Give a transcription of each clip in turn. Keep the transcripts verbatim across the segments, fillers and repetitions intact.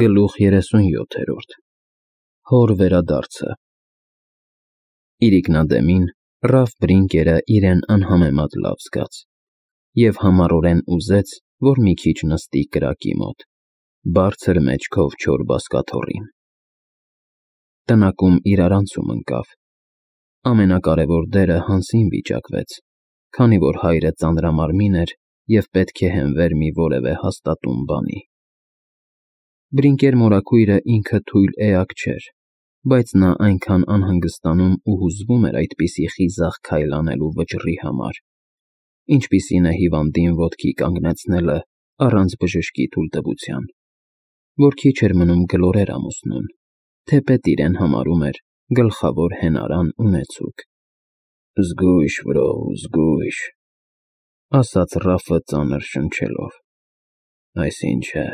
Գլուխ երեսունյոթերորդ Հոր վերադարձը Իրիկնադեմին Ռաֆ Բրինկերը իրեն անհամեմատ լավ զգաց և համառորեն ուզեց, որ մի քիչ նստի կրակի մոտ, բարձր մեջքով չոր բազկաթոռին։ Տնակում իրարանցում ընկավ։ Ամենակարևոր դերը Հանսին վիճակվեց, քանի որ հայրը ծանրամարմին էր և պետք է հենվեր մի որևէ հաստատուն բանի։ Բրինկեր մորաքույրը ինքը թույլ էակ չէր, բայց նա այնքան անհանգստանում ու հուզվում էր այդպիսի խիզախ քայլ անելու վճռի համար, ինչպիսին է հիվանդին ոտքի կանգնեցնելը առանց բժշկի թույլտվության, որ քիչ էր մնում գլորեր ամուսնուն, թեպետ իրեն համարում էր գլխավոր հենարան ունեցուկ։ «Զգույշ, վրո, զգույշ», ասաց Ռաֆը ծանր շնչելով, «այսինչ է,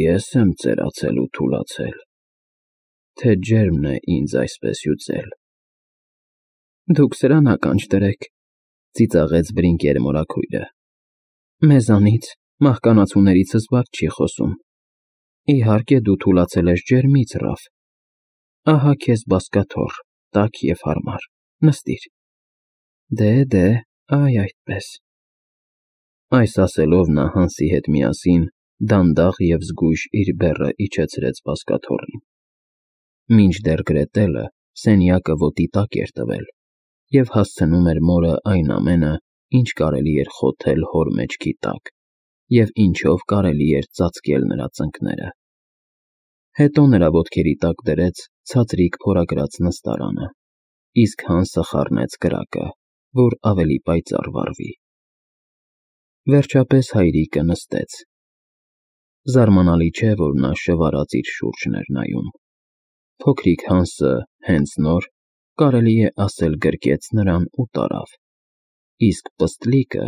ես եմ ծերացել ու թուլացել, թե ջերմն է ինձ այսպես հյուծել»։ «Դուք սրան ականջ դրեք», ծիծաղեց Բրինկեր մորաքույրը, «մեզանից, մահկանացուներից զվարթ չի խոսում։ Իհարկե դու թուլացել ես ջերմից, Ռաֆ, ահա քեզ բազկաթոռ, տաք և հարմար, նստիր։ Դե, դե, այ այդպես»։ Այս ասելով նա Հանսի հետ միասին դանդաղ և զգույշ իր բեռը իջեցրեց բազկաթոռին։ Մինչդեռ գրետելը սենյակը ոտի տակ էր տվել և հասցնում էր մորը այն ամենը, ինչ կարելի էր խոթել հոր մեջքի տակ և ինչով կարելի էր ծածկել նրա ծնկները։ Հետո նրա ոտքերի տակ դրեց ցածրիկ փորագրած նստարանը, իսկ Հանսը խառնեց կրակը, որ ավելի պայծառ վառվի։ Վերջապես հայրիկը նստեց։ Զարմանալի չէ, որ նա շվարած իր շուրջն էր նայում։ Փոքրիկ Հանսը հենց նոր, կարելի է ասել, գրկեց նրան ու տարավ, իսկ պստլիկը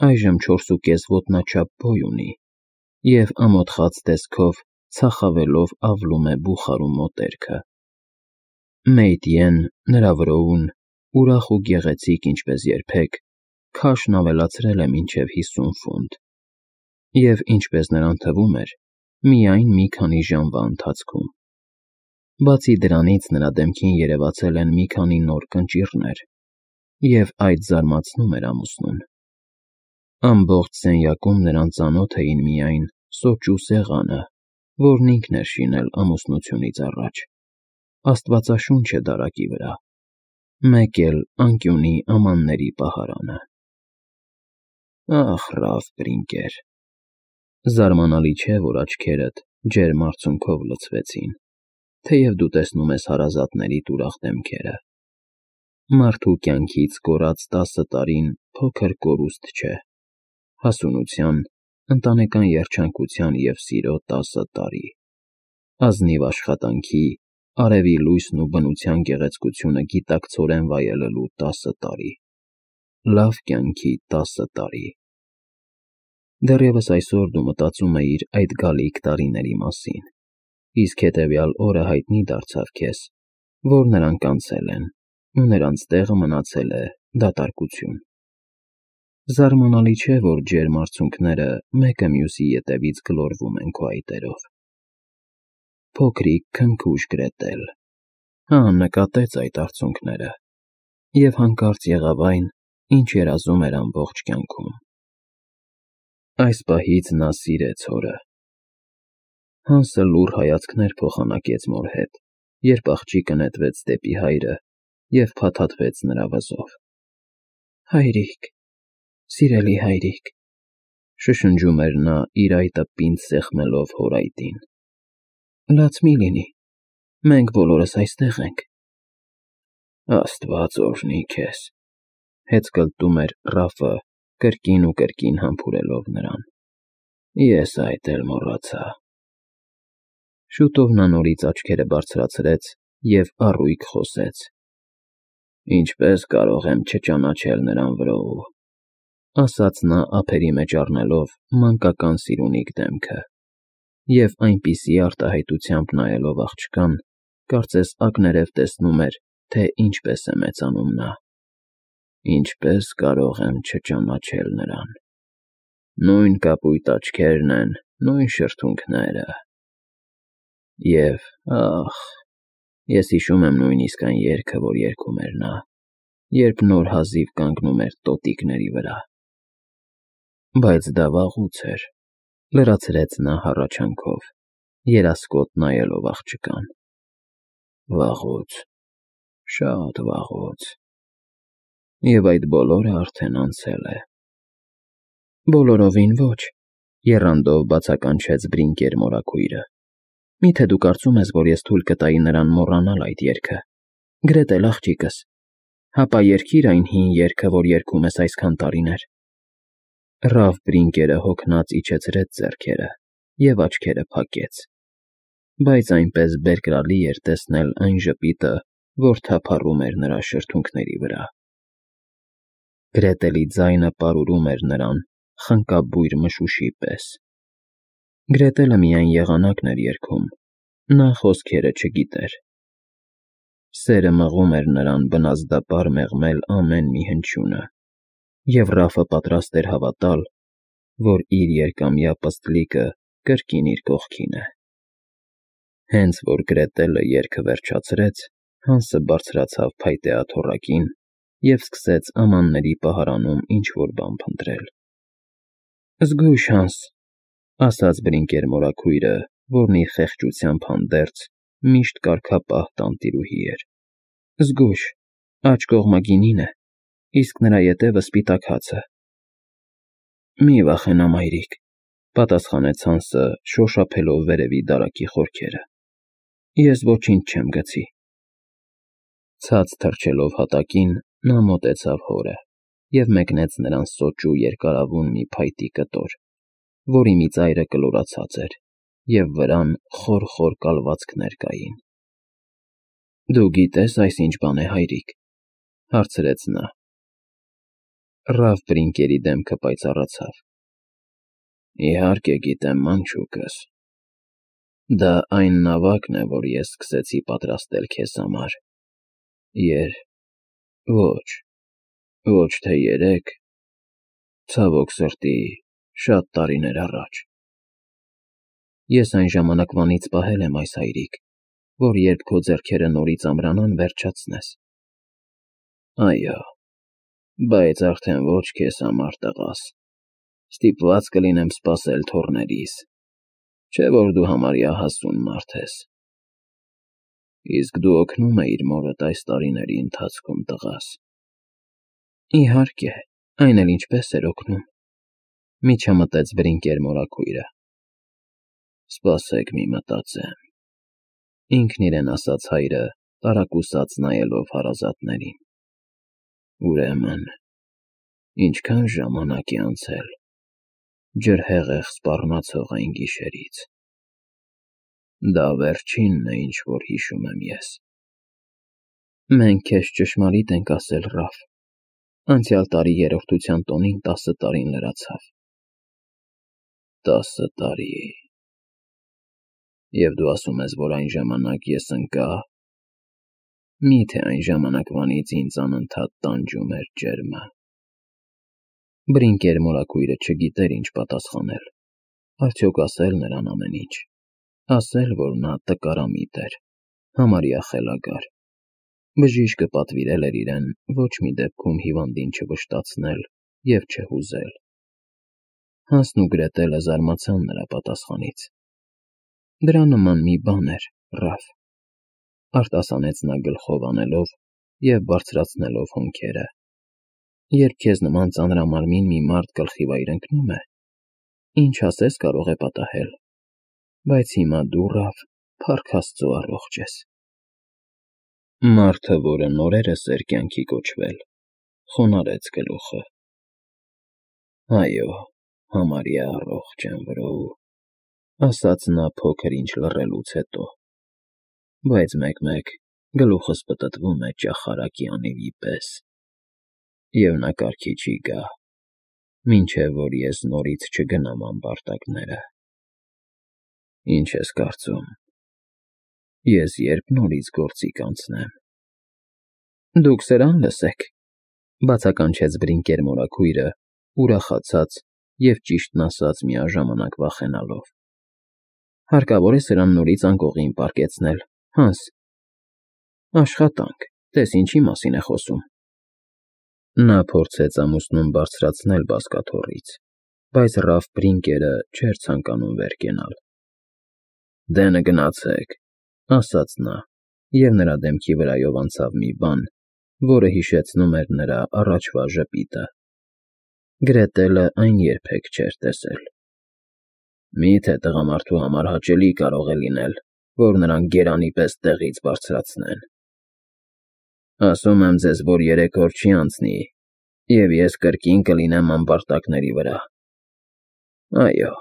այժմ չորսուկես ոտնաչափ բոյ ունի և ամոթխած տեսքով ցախավելով ավլում է բուխարու մոտերքը։ Մեյտյեն, նրա վրոուն, ուրախ ու գեղեցիկ ինչպես երբեք, քաշն ավելացրել է մինչև հիսուն ֆունտ և, ինչպես նրան թվում էր, միայն մի քանի ժամվա ընթացքում։ Բացի դրանից նրա դեմքին երևացել են մի քանի նոր կնճիռներ, և այդ զարմացնում էր ամուսնուն։ Ամբողջ սենյակում նրան ծանոթ էին միայն սոճու սեղանը, որն ինքն էր շինել ամուսնությունից առաջ, աստվածաշունչը դարակի վրա, մեկ էլ անկյունի ամանների պահարանը։ Ախ, Ռաֆ Բրինկեր, զարմանալի չէ, որ աչքերդ ջերմ արցունքով լցվեցին, թեև դու տեսնում ես հարազատներիդ ուրախ դեմքերը։ Մարդու կյանքից կորած տասը տարին փոքր կորուստ չէ, հասունության, ընտանեկան երջանկության և սիրո տասը տարի, ազնիվ աշխատանքի, արևի լույսն ու բնության գեղեցկությունը գիտակցորեն վայելելու տասը տարի, լավ կյանքի տասը տարի։ Դեռևս այսօր դու մտածում էիր այդ գալիք տարիների մասին, իսկ հետևյալ օրը հայտնի դարձավ քեզ, որ նրանք անցել են, ու նրանց տեղը մնացել է դատարկություն։ Զարմանալի չէ, որ ջերմ արցունքները մեկը մյուսի ետևից գլորվում են քո այտերով։ Փոքրիկ քնքուշ գրետել, հա, նկատեց այդ արցունքները և հանկարծ եղավ այն, ինչ երազում էր ամբողջ կյանքում։ Այս պահից նա սիրեց հորը։ Հանսը լուռ հայացքներ փոխանակեց մոր հետ, երբ աղջիկը նետվեց դեպի հայրը և փաթաթվեց նրա վզով։ Հայրիկ, սիրելի հայրիկ, շշնջում էր նա իր այտը պինդ սեղմելով հոր այտին, լաց մի լինի, մենք բոլորս այստեղ ենք։ Աստված օրհնի քեզ, հեծկլտում էր Ռաֆը, կրկին ու կրկին համբուրելով նրան, ես այդ էլ մոռացա։ Շուտով նա նորից աչքերը բարձրացրեց և առույգ խոսեց. Ինչպես կարող եմ չճանաչել նրան, վրոու, ասաց նա ափերի մեջ առնելով մանկական սիրունիկ դեմքը և այնպիսի արտահայտությամբ նայելով աղջկան, կարծես ակներև տեսնում էր, թե ինչպես է մեծանում նա։ Ինչպես կարող եմ չճանաչել նրան, նույն կապույտ աչքերն են, նույն շրթունքները։ Եվ, ախ, ես հիշում եմ նույնիսկ այն երգը, որ երգում էր նա, երբ նոր հազիվ կանգնում էր տոտիկների վրա։ Բայց դա վաղուց էր, լրացրեց նա հառաչանքով, երասկոտ նայելով աղջկան։ Վաղուց, շատ վաղուց։ Եվ այդ բոլորը արդեն անցել է։ Բոլորովին ոչ, եռանդով բացականչեց Բրինկեր մորաքույրը։ Միթե դու կարծում ես, որ ես թույլ կտայի նրան մոռանալ այդ երգը։ Գրետել աղջիկս, հապա երգիր այն հին երգը, որ երգում ես այսքան տարիներ։ Ռաֆ Բրինկերը հոգնած իջեցրեց ձեռքերը և աչքերը փակեց, բայց այնպես բերկրալի էր տեսնել այն ժպիտը, որ թափառում էր նրա շրթունքների վրա։ Գրետելի ձայնը պարուրում էր նրան խնկաբույր մշուշի պես։ Գրետելը միայն եղանակն էր երգում, նա խոսքերը չգիտեր։ Սերը մղում էր նրան բնազդապար մեղմել ամեն մի հնչյունը, և Ռաֆը պատրաստ էր հավատալ, որ իր երկամյա պստլիկը կրկին իր կողքին է։ Հենց որ Գրետելը երգը վերջացրեց, Հանսը բարձրացավ փայտե աթոռակին և սկսեց ամանների պահարանում ինչ-որ բան փնտրել։ Զգույշ, Հանս, ասաց Բրինկեր մորաքույրը, որն իր խեղճությամբ հանդերձ միշտ կարգապահ տանտիրուհի էր։ Զգույշ, աջ կողմը գինին է, իսկ նրա ետևը սպիտակ հացը։ Մի վախենա, մայրիկ, պատասխանեց Հանսը, շոշափելով վերևի դարակի խորքերը։ Ես ոչինչ չեմ գցի։ Ցած թռչելով հատակին, նա մոտեցավ հորը և մեկնեց նրան սոճու երկարավուն մի փայտի կտոր, որի մի ծայրը կլորացած էր, և վրան խոր-խոր կալվածքներ կային։ Դու գիտե՞ս այս ինչ բան է, հայրիկ, հարցրեց նա։ Ռաֆ Բրինկերի դեմքը պայծառացավ։ Իհարկե գիտեմ, մանչուկս։ Դա այն նավակն է, որ ես սկսեցի պատրաստել քեզ համար։ Եր… ոչ, ոչ թե երեկ, ցավոք սրտի, շատ տարիներ առաջ։ Ես այն ժամանակվանից պահել եմ այս, հայրիկ, որ երբ քո ձեռքերը նորից ամրանան, վերջացնես։ Այո, բայց արդեն ոչ քեզ համար, տղաս, ստիպված կլինեմ սպասել թոռներիս, չէ՞ որ դու համարյա հասուն մարդ ես։ Իսկ դու օգնում էիր մորդ այս տարիների ընթացքում, տղաս։ Իհարկե, այն էլ ինչպես էր օգնում, միջամտեց Բրինկեր մորաքույրը։ Սպասեք մի մտածեմ, ինքն իրեն ասաց հայրը, տարակուսած նայելով հարազատներին։ Ուրեմն, ինչքան ժամանակ է անցել, ջրհեղեղ սպառնացող այն գիշերից։ Դա վերջինն է, ինչ որ հիշում եմ ես։ Մենք քեզ ճշմարիտ ենք ասել, Ռաֆ, անցյալ տարի երրորդության տոնին տասը տարին լրացավ։ Տասը տարի… Եվ դու ասում ես, որ այն ժամանակ ես ընկա… Մի՞թե այն ժամանակվանից ինձ անընդհատ տանջում էր ջերմը։ Բրինկեր մորաքույրը չգիտեր ինչ պատասխանել։ Արդյոք ասել նրան ամեն ինչ։ Ասել, որ նա տկարամիտ էր, համարյա խելագար։ Բժիշկը պատվիրել էր իրեն ոչ մի դեպքում հիվանդին չվշտացնել և չհուզել։ Հանսն ու Գրետելը զարմացան նրա պատասխանից։ Դրա նման մի բան էր, Ռաֆ, արտասանեց նա գլխով անելով և բարձրացնելով հոնքերը։ Երբ քեզ նման ծանրամարմին մի մարդ գլխի վայր ընկնում է, ինչ ասես կարող է պատահել, բայց հիմա դու, Ռաֆ, փառք Աստծո, առողջ ես։ Մարդը, որը նորերս էր կյանքի կոչվել, խոնարհեց գլուխը։ Այո, համարյա առողջ եմ, վրո, ասաց նա փոքր ինչ լռելուց հետո, բայց մեկ֊մեկ գլուխս պտտվում է ճախարակի անիվի պես, և նա կարգի չի գա, մինչև որ ես նորից չգնամ ամբարտակները։ Ինչ ես կարծում, ես երբ նորից գործի կանցնեմ։ Դուք սրան լսեք, բացականչեց Բրինկեր մորաքույրը, ուրախացած և ճիշտն ասած միաժամանակ վախենալով։ Հարկավոր է սրան նորից անկողին պառկեցնել, Հանս։ Աշխատանք, տես ինչի մասին է խոսում։ Նա փորձեց ամուսնուն բարձրացնել բազկաթոռից, բայց Ռալֆ Բրինկերը չէր ցանկանում վեր կենալ։ Դենը գնացեք, ասաց նա, և նրա դեմքի վրայով անցավ մի բան, որը հիշեցնում էր նրա առաջվա ժպիտը։ Գրետելը այն երբեք չէր տեսել։ Մի՞թե տղամարդու համար հաճելի կարող է լինել, որ նրան գերանի պես տեղից բարձրացնեն։ Ասում եմ ձեզ, որ երեք օր չի անցնի, և ես կրկին կլինեմ ամբարտակների վրա։ Այո,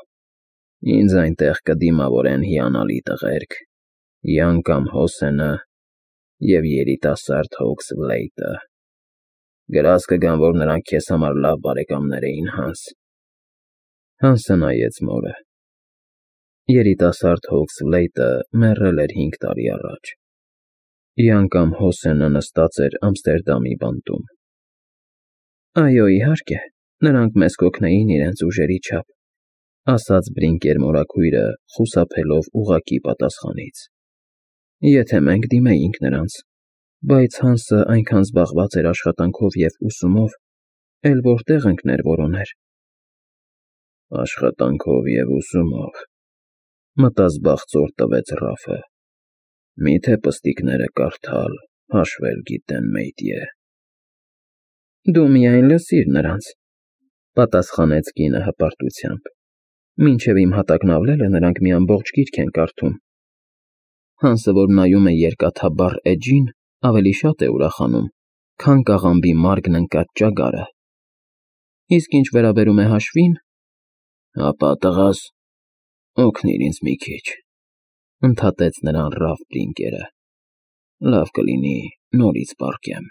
ինձ այնտեղ կդիմավորեն հիանալի տղերք, Յան կամ Հոսենը և երիտասարդ Հոքսբլեյթը։ Գրազ կգան, որ նրանք քեզ համար լավ բարեկամներ էին, Հանս։ Հանսը նայեց մորը։ Երիտասարդ Հոքսբլեյթը մեռել էր հինգ տարի առաջ։ Յան կամ Հոսենը նստած էր Ամստերդամի բանտում։ Այո, իհարկե, նրանք մեզ կօգնեին իրենց ուժերի չափ, ասաց Բրինկեր մորաքույրը, խուսափելով ուղղակի պատասխանից։ Եթե մենք դիմեինք նրանց, բայց Հանսը այնքան զբաղված էր աշխատանքով և ուսումով, էլ որտեղ ընկներ որոներ։ Աշխատանքով և ուսումով, մտազբաղծոր տվեց Ռալֆը։ Մի՞թե պստիկները կարդալ, հաշվել գիտեն, մեյդիե։ Դու միայն լսիր նրանց, պատասխանեց կինը հպարտությամբ։ Մինչև իմ հատակն ավլելը նրանք մի ամբողջ գիրք են կարդում։ Հանսը, որ նայում է երկաթաբառ էջին, ավելի շատ է ուրախանում, քան կաղամբի մարգն ընկած ճագարը։ Իսկ ինչ վերաբերում է հաշվին, ապա տղաս, օգնիր ինձ մի քիչ, ընդհատեց նրան Ռալֆ Բրինկերը։ Լավ կլինի նորից պառկեմ։